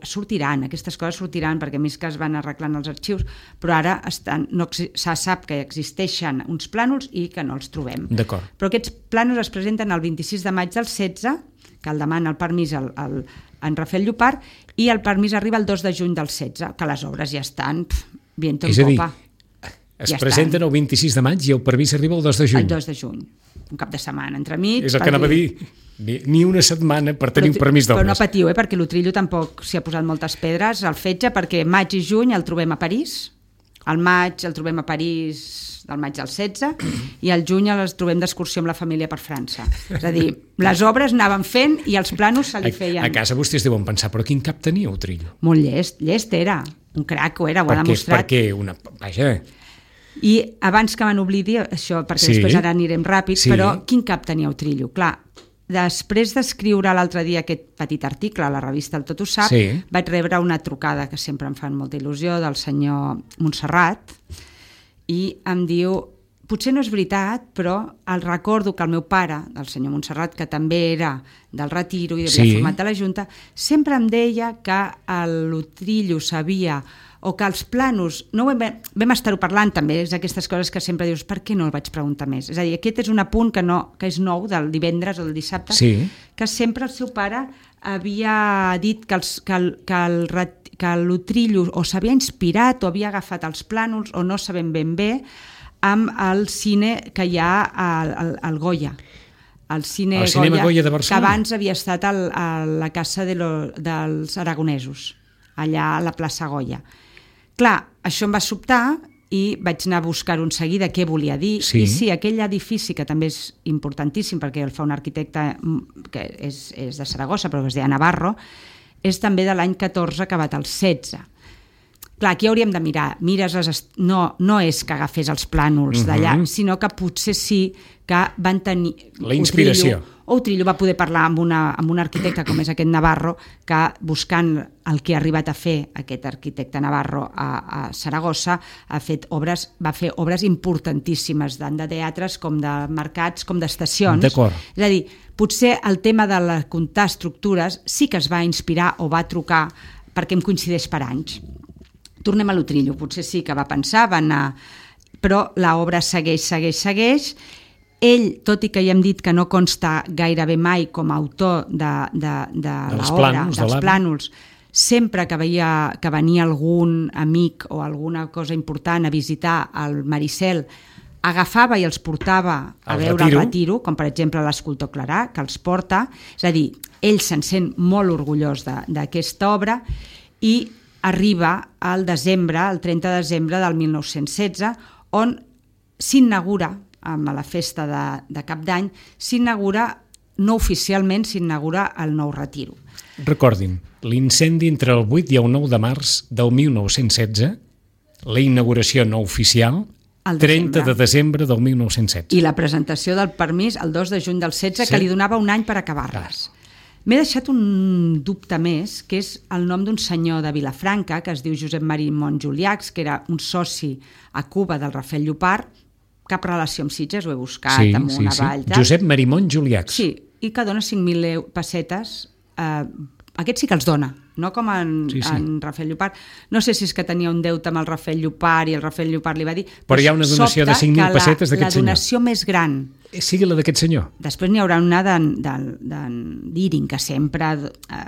Speaker 2: sortiran, aquestes coses sortiran, perquè més que es van arreglant els arxius, però ara estan, no, se sap que existeixen uns plànols i que no els trobem.
Speaker 1: D'acord.
Speaker 2: Però aquests plànols es presenten el vint-i-sis de maig del setze, que el demana el permís el, el, en Rafael Llopart, i el permís arriba el dos de juny del setze, que les obres ja estan pff, viento en popa.
Speaker 1: Es ja presenten estan. El vint-i-sis de maig i el permís arriba el dos de juny.
Speaker 2: El dos de juny, un cap de setmana entremig.
Speaker 1: És el que anava a dir, ni una setmana per tenir però, un permís d'obres.
Speaker 2: Però no patiu, eh, perquè l'Utrillo tampoc s'hi ha posat moltes pedres al fetge, perquè maig i juny el trobem a París, al maig el trobem a París del maig del setze, i al juny els trobem d'excursió amb la família per França. És a dir, les obres anaven fent i els planos se li feien.
Speaker 1: A, a casa vostès deuen pensar, però quin cap tenia Utrillo?
Speaker 2: Molt llest, llest era, un crac ho era, ho ha demostrat.
Speaker 1: Perquè una... Vaja...
Speaker 2: I abans que me n'oblidi, això, perquè sí. després ara anirem ràpid, sí. però quin cap tenia Utrillo? Clar, després d'escriure l'altre dia aquest petit article a la revista El Tot ho sap, sí. vaig rebre una trucada que sempre em fan molta il·lusió del senyor Montserrat, i em diu, potser no és veritat, però el recordo que el meu pare, el senyor Montserrat, que també era del Retiro i havia sí. format de la Junta, sempre em deia que l'Utrillo sabia, o que els planos, no vam, vam estar-ho parlant també, és aquestes coses que sempre dius, per què no el vaig preguntar més? És a dir, aquest és un apunt que, no, que és nou del divendres o del dissabte,
Speaker 1: sí.
Speaker 2: que sempre el seu pare havia dit que, els, que, el, que, el, que l'Utrillo o s'havia inspirat o havia agafat els plànols o no sabem ben bé amb el cine que hi ha al, al, al Goya. El cine
Speaker 1: el Goya, Goya de
Speaker 2: que abans havia estat al, a la casa de lo, dels aragonesos, allà a la plaça Goya. Clar, això em va sobtar i vaig anar a buscar un seguida què volia dir.
Speaker 1: Sí.
Speaker 2: I sí, aquell edifici, que també és importantíssim perquè el fa un arquitecte que és, és de Saragossa, però que es deia Navarro, és també de l'any catorze, acabat el setze. Clar, aquí hauríem de mirar. Mires les est... no, no és que agafés els plànols uh-huh. d'allà, sinó que potser sí que van tenir...
Speaker 1: La inspiració.
Speaker 2: Utrillo, o Utrillo va poder parlar amb, una, amb un arquitecte com és aquest Navarro, que buscant el que ha arribat a fer aquest arquitecte Navarro a, a Saragossa, ha fet obres, va fer obres importantíssimes, tant de teatres com de mercats, com d'estacions.
Speaker 1: D'acord.
Speaker 2: És a dir, potser el tema de la, comptar estructures sí que es va inspirar o va trucar perquè em coincideix per anys. Tornem a l'Utrillo, potser sí que va pensar, va anar... però l'obra segueix, segueix, segueix. Ell, tot i que ja hem dit que no consta gairebé mai com a autor de, de, de l'obra, dels de plànols, sempre que, veia, que venia algun amic o alguna cosa important a visitar el Maricel, agafava i els portava a el veure retiro. el retiro, com per exemple l'escultor Clarà, que els porta. És a dir, ell se'n sent molt orgullós d'aquesta obra i arriba al desembre, el trenta de desembre del mil nou-cents setze, on s'inaugura, amb la festa de, de Cap d'Any, s'inaugura, no oficialment, s'inaugura el nou retiro.
Speaker 1: Recordin, l'incendi entre el vuit i el nou de març del mil nou-cents setze, la inauguració no oficial, el trenta de desembre del mil nou-cents setze.
Speaker 2: I la presentació del permís el dos de juny del setze, sí. que li donava un any per acabar-les. M'he deixat un dubte més, que és el nom d'un senyor de Vilafranca, que es diu Josep Marimon Juliacs, que era un soci a Cuba del Rafael Llopart, cap relació amb Sitges, ho he buscat
Speaker 1: sí,
Speaker 2: amb
Speaker 1: sí,
Speaker 2: una
Speaker 1: sí.
Speaker 2: vall.
Speaker 1: Josep Marimon Juliacs.
Speaker 2: Sí, i que dona cinc mil pessetes. Eh, aquests sí que els dona, no com en, sí, sí. en Rafael Llopart. No sé si és que tenia un deute amb el Rafael Llopart i el Rafael Llopart li va dir...
Speaker 1: Però hi ha una donació de cinc mil pessetes d'aquest senyor.
Speaker 2: La donació més gran...
Speaker 1: Sigui la d'aquest senyor.
Speaker 2: Després n'hi haurà una d'en Diring, que sempre eh,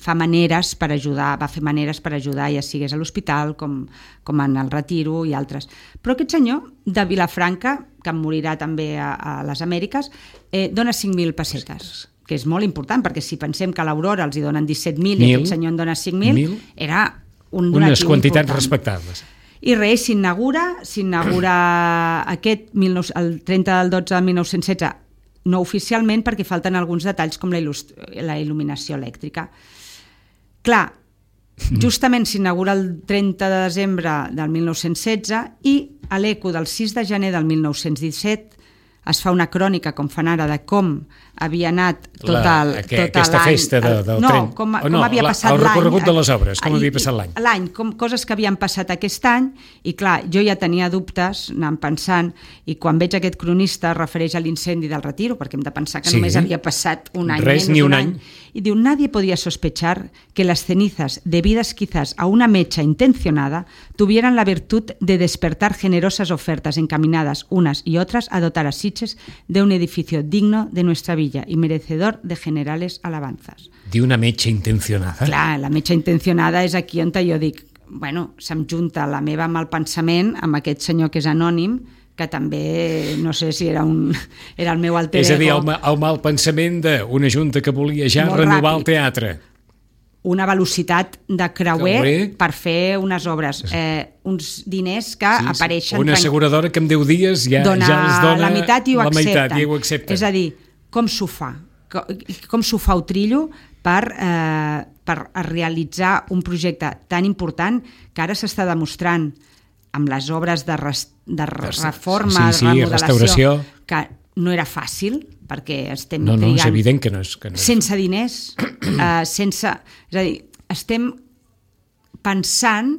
Speaker 2: fa maneres per ajudar, va fer maneres per ajudar, ja sigués a l'hospital, com, com en el Retiro i altres. Però aquest senyor de Vilafranca, que em morirà també a, a les Amèriques, eh, dona cinc mil pessetes, que és molt important, perquè si pensem que a l'Aurora els hi donen disset mil i aquest senyor en dona cinc mil, era un donatiu
Speaker 1: unes quantitats
Speaker 2: important.
Speaker 1: Respectables.
Speaker 2: I res, s'inaugura, s'inaugura aquest el trenta del dotze de mil nou-cents setze, no oficialment, perquè falten alguns detalls com la, la il·luminació elèctrica. Clar, justament s'inaugura el trenta de desembre del mil nou-cents setze i a l'eco del sis de gener del mil nou-cents disset es fa una crònica, com fan ara, de com havia anat tot
Speaker 1: la,
Speaker 2: el,
Speaker 1: que,
Speaker 2: tot
Speaker 1: aquesta
Speaker 2: l'any.
Speaker 1: festa de, del
Speaker 2: no,
Speaker 1: tren.
Speaker 2: Com,
Speaker 1: oh, no,
Speaker 2: com havia
Speaker 1: la,
Speaker 2: passat
Speaker 1: l'any. El recorregut
Speaker 2: l'any,
Speaker 1: de les obres, com
Speaker 2: i,
Speaker 1: havia passat l'any.
Speaker 2: L'any, com, coses que havien passat aquest any, i clar, jo ja tenia dubtes, anant pensant, i quan veig aquest cronista es refereix a l'incendi del Retiro, perquè hem de pensar que
Speaker 1: sí.
Speaker 2: només havia passat un any,
Speaker 1: Res,
Speaker 2: menys
Speaker 1: ni un,
Speaker 2: un
Speaker 1: any.
Speaker 2: any. Y diu, nadie podía sospechar que las cenizas, debidas quizás a una mecha intencionada, tuvieran la virtud de despertar generosas ofertas encaminadas unas y otras a dotar a Sitges de un edificio digno de nuestra villa y merecedor de generales alabanzas.
Speaker 1: Diu una metxa intencionada.
Speaker 2: Clar, la metxa intencionada és aquí on jo dic, bueno, se'm junta la meva mal pensament amb aquest senyor que és anònim, que també, no sé si era, un, era el meu alter ego.
Speaker 1: És a dir, el, el mal pensament d'una junta que volia ja
Speaker 2: Molt
Speaker 1: renovar
Speaker 2: ràpid.
Speaker 1: el teatre.
Speaker 2: Una velocitat de creuer,
Speaker 1: creuer.
Speaker 2: per fer unes obres. Eh, uns diners que
Speaker 1: sí, sí.
Speaker 2: apareixen...
Speaker 1: Una asseguradora que en deu dies ja,
Speaker 2: dona
Speaker 1: ja els dona
Speaker 2: la meitat i ho
Speaker 1: la
Speaker 2: accepten.
Speaker 1: Meitat, i ho accepten.
Speaker 2: És a dir, com s'ho fa? Com s'ho fa Utrillo per, eh, per realitzar un projecte tan important que ara s'està demostrant amb les obres de, res, de reforma,
Speaker 1: sí, sí,
Speaker 2: remodelació,
Speaker 1: restauració,
Speaker 2: que no era fàcil, perquè estem
Speaker 1: no, no,
Speaker 2: trigant...
Speaker 1: és evident que no és... Que no és...
Speaker 2: Sense diners, eh, sense... És a dir, estem pensant,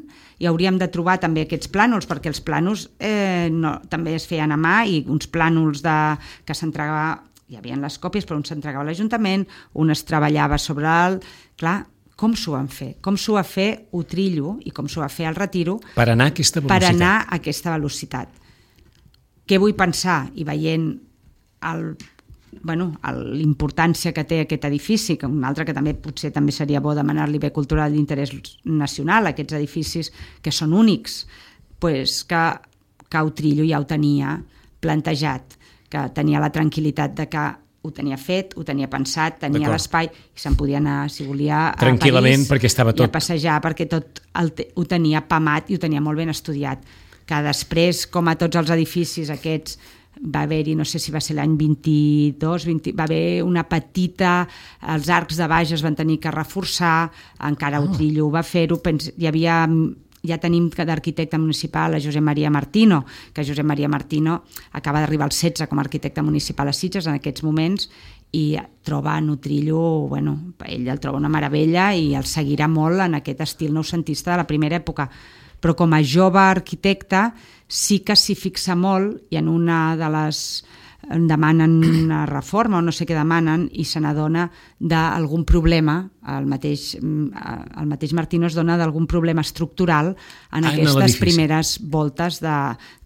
Speaker 2: i hauríem de trobar també aquests plànols, perquè els plànols eh, no, també es feien a mà, i uns plànols de, que s'entregava... Hi havia les còpies, però un s'entregava a l'Ajuntament, un es treballava sobre el... Clar, com s'ho van fer? Com s'ho va fer Utrillo i com s'ho va fer el Retiro
Speaker 1: per anar a aquesta velocitat?
Speaker 2: Per anar a aquesta velocitat. Què vull pensar? I veient el, bueno, l'importància que té aquest edifici, que un altre que també potser també seria bo demanar-li bé cultural d'interès nacional, aquests edificis que són únics, pues que, que Utrillo ja ho tenia plantejat, que tenia la tranquil·litat de que ho tenia fet, ho tenia pensat, tenia l'espai i se'n podia anar, si volia, a
Speaker 1: tranquil·lament,
Speaker 2: París
Speaker 1: perquè estava tot...
Speaker 2: i a passejar, perquè tot el, ho tenia pamat i ho tenia molt ben estudiat. Que després, com a tots els edificis aquests, va haver-hi, no sé si va ser l'any vint-i-dos, vint, va haver una petita, els arcs de baix es van tenir que reforçar, encara oh. Utrillo ho va fer-ho, hi havia... Ja tenim d'arquitecte municipal a Josep Maria Martino, que Josep Maria Martino acaba d'arribar al setze com a arquitecte municipal a Sitges en aquests moments, i troba en Utrillo, bueno, ell el troba una meravella i el seguirà molt en aquest estil noucentista de la primera època. Però com a jove arquitecte sí que s'hi fixa molt, i en una de les demanen una reforma o no sé què demanen i se n'adona d'algun problema, el mateix, el mateix Martino es dona d'algun problema estructural en ah, aquestes no primeres voltes de,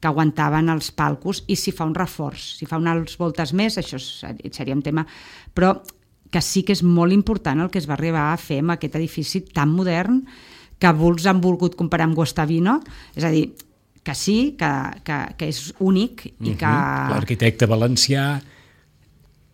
Speaker 2: que aguantaven els palcos, i si fa un reforç, si fa unes voltes més, això seria un tema, però que sí que és molt important el que es va arribar a fer amb aquest edifici tan modern que molts han volgut comparar amb Guastavino, és a dir, que sí, que, que, que és únic i que...
Speaker 1: Uh-huh. L'arquitecte valencià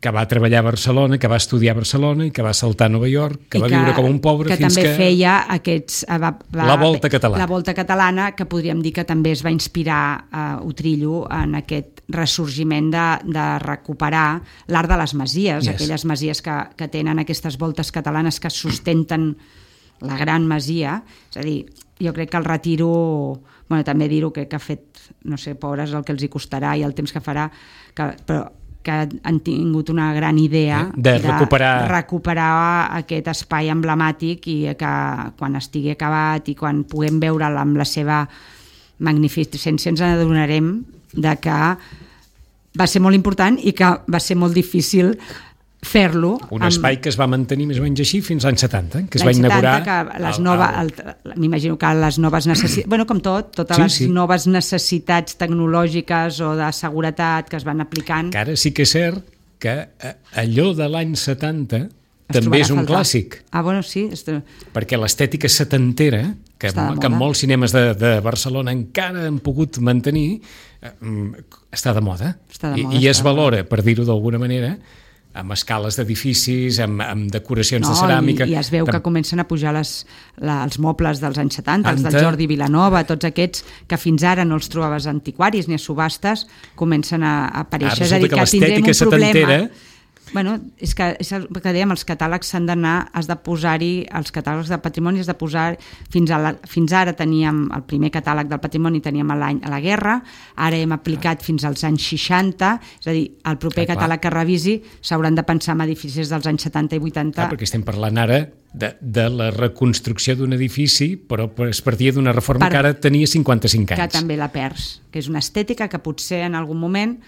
Speaker 1: que va treballar a Barcelona, que va estudiar a Barcelona i que va saltar a Nova York, que I va que, viure com un pobre
Speaker 2: que
Speaker 1: fins que...
Speaker 2: Que també feia aquests... Va, va,
Speaker 1: la volta catalana.
Speaker 2: La volta catalana, que podríem dir que també es va inspirar a Utrillo en aquest ressorgiment de, de recuperar l'art de les masies, yes. Aquelles masies que, que tenen aquestes voltes catalanes que sustenten la gran masia. És a dir, jo crec que el Retiro... Bueno, també dir-ho que, que ha fet, no sé, pobres el que els hi costarà i el temps que farà, que, però que han tingut una gran idea
Speaker 1: de recuperar...
Speaker 2: de recuperar aquest espai emblemàtic, i que quan estigui acabat i quan puguem veure'l amb la seva magnificència ens adonarem de que va ser molt important i que va ser molt difícil fer-lo.
Speaker 1: Un espai amb... que es va mantenir més o menys així fins l'any setanta, que es va inaugurar...
Speaker 2: Que les nova, el, m'imagino que les noves necessitats... bueno, com tot, totes
Speaker 1: sí,
Speaker 2: les
Speaker 1: sí.
Speaker 2: noves necessitats tecnològiques o de seguretat que es van aplicant...
Speaker 1: Que ara sí que és cert que allò de l'any setanta també és un clàssic.
Speaker 2: Ah, bueno, sí. Est...
Speaker 1: Perquè l'estètica setantera, que, que en molts cinemes de, de Barcelona encara han pogut mantenir, està de moda.
Speaker 2: Està de moda
Speaker 1: I, i es valora, per dir-ho d'alguna manera, amb escales d'edificis, amb, amb decoracions no, de ceràmica...
Speaker 2: I, i es veu Tam... que comencen a pujar les, la, els mobles dels anys setanta, Anta... els del Jordi Vilanova, tots aquests que fins ara no els trobaves antiquaris ni a subhastes, comencen a, a aparèixer.
Speaker 1: Ara resulta és a dir, que, que tindrem un problema...
Speaker 2: Bueno, és que, és el que dèiem, els catàlegs s'han d'anar, has de posar-hi, els catàlegs de patrimoni has de posar, fins, a la, fins ara teníem el primer catàleg del patrimoni, teníem a l'any a la guerra, ara hem aplicat fins als anys seixanta, és a dir, el proper
Speaker 1: ah,
Speaker 2: catàleg que revisi s'hauran de pensar en edificis dels anys setanta i vuitanta.
Speaker 1: Clar, perquè estem parlant ara de, de la reconstrucció d'un edifici, però es partia d'una reforma per, que ara tenia cinquanta-cinc anys.
Speaker 2: Que també la perds, que és una estètica que potser en algun moment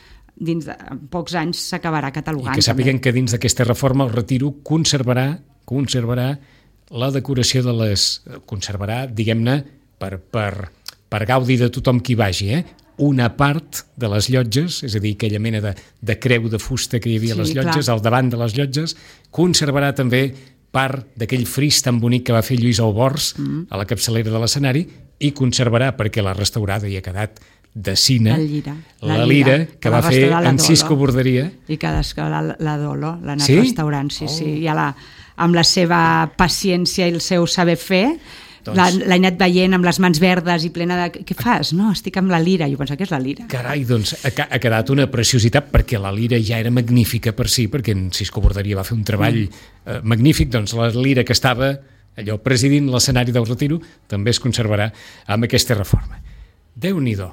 Speaker 2: dins de pocs anys s'acabarà catalogant.
Speaker 1: I que sàpiguen també que dins d'aquesta reforma el Retiro conservarà conservarà la decoració de les... conservarà, diguem-ne, per, per, per gaudi de tothom qui vagi, eh? Una part de les llotges, és a dir, aquella mena de, de creu de fusta que hi havia a les llotges, clar, al davant de les llotges, conservarà també part d'aquell fris tan bonic que va fer Lluís Albors mm. a la capçalera de l'escenari, i conservarà, perquè l'ha restaurada i ha quedat de cine,
Speaker 2: la lira,
Speaker 1: la, la lira que, que va fer en Cisco Borderia.
Speaker 2: I que la, la Dolo l'ha anat
Speaker 1: sí?
Speaker 2: restaurant, sí,
Speaker 1: oh.
Speaker 2: sí. I la, amb la seva paciència i el seu saber fer, doncs... l'ha anat veient amb les mans verdes i plena de... Què fas? No, estic amb la lira. Jo penso que és la lira.
Speaker 1: Carai, doncs ha, ha quedat una preciositat, perquè la lira ja era magnífica per si, perquè en Cisco Borderia va fer un treball mm. eh, magnífic, doncs la lira que estava allò presidint l'escenari del Retiro també es conservarà amb aquesta reforma. Déu-n'hi-do.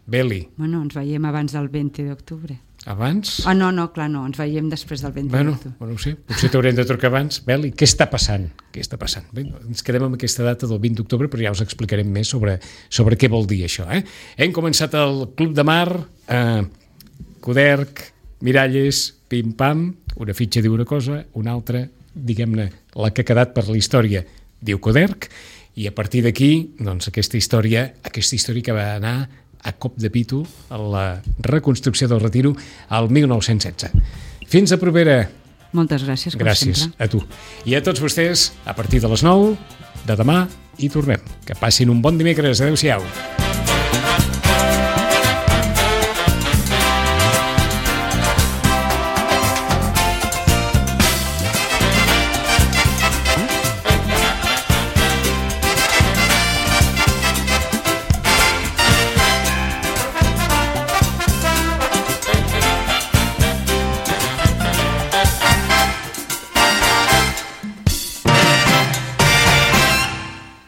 Speaker 1: Beli.
Speaker 2: Bueno, ens veiem abans del vint d'octubre.
Speaker 1: Abans?
Speaker 2: Ah, no, no, clar, no, ens veiem després del vint
Speaker 1: bueno,
Speaker 2: d'octubre.
Speaker 1: Bueno, sí, potser t'haurem de trucar abans. Beli, què està passant? Què està passant? Bé, ens quedem amb aquesta data del vint d'octubre, però ja us explicarem més sobre, sobre què vol dir això. Eh? Hem començat el Club de Mar, eh, Coderc, Miralles, pim-pam, una fitxa diu una cosa, una altra, diguem-ne, la que ha quedat per la història diu Coderc, i a partir d'aquí, doncs, aquesta història, aquesta història que va anar a cop de pito a la reconstrucció del Retiro al mil nou-cents setze. Fins a propera.
Speaker 2: Moltes gràcies, com
Speaker 1: gràcies
Speaker 2: sempre.
Speaker 1: A tu. I a tots vostès, a partir de les nou de demà hi tornem. Que passin un bon dimecres. Adéu-siau.